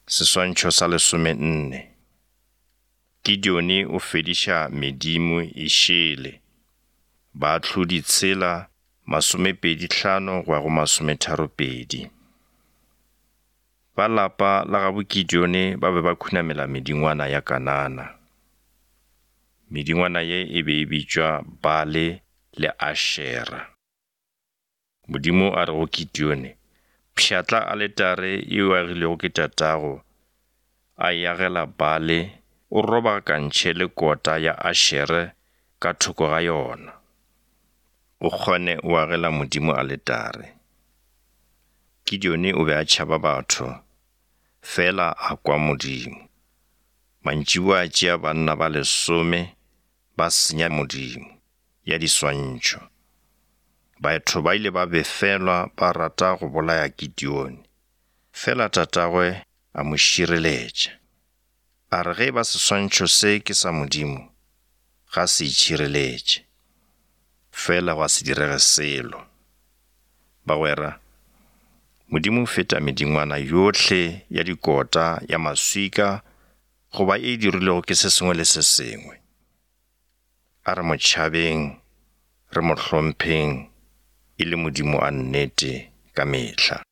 Seswantšho sa lesomenne. Gideoni o fediša medimo e šele. Baahlodi tshela, masomepedi hlano go ya go masometharopedi. Ba lapa la gabo Gideoni ba be ba khunamela medingwana ya Kanana. Medingwana ye e be e bitšwa Baale le Ashera. Modimo a re go Gideone, Pšhatla aletare ye o agilego ke tatago, a e agela Baale, o robakantšhe le kota ya Ashere ka thoko ga yona. O kgone o agela Modimo aletare. Gideone o be a tšhaba batho, fela a kwa Modimo. Mantšiboa a tšea banna ba lesome ba senya Modimo. ya diswantšho. Batho ba ile ba befelwa ba rata go bolaya Gideone, fela tatagwe a mo šireletša. A re ge e ba seswantšho se ke sa Modimo, ga se itšhireletše. Fela gwa se direge selo. Bagwera, Modimo o feta medingwana yohle ya dikota, ya maswika goba e dirilwego ke se sengwe le se sengwe. A re mo tšhabeng, re mo hlompheng e le Modimo wa nnete ka mehla.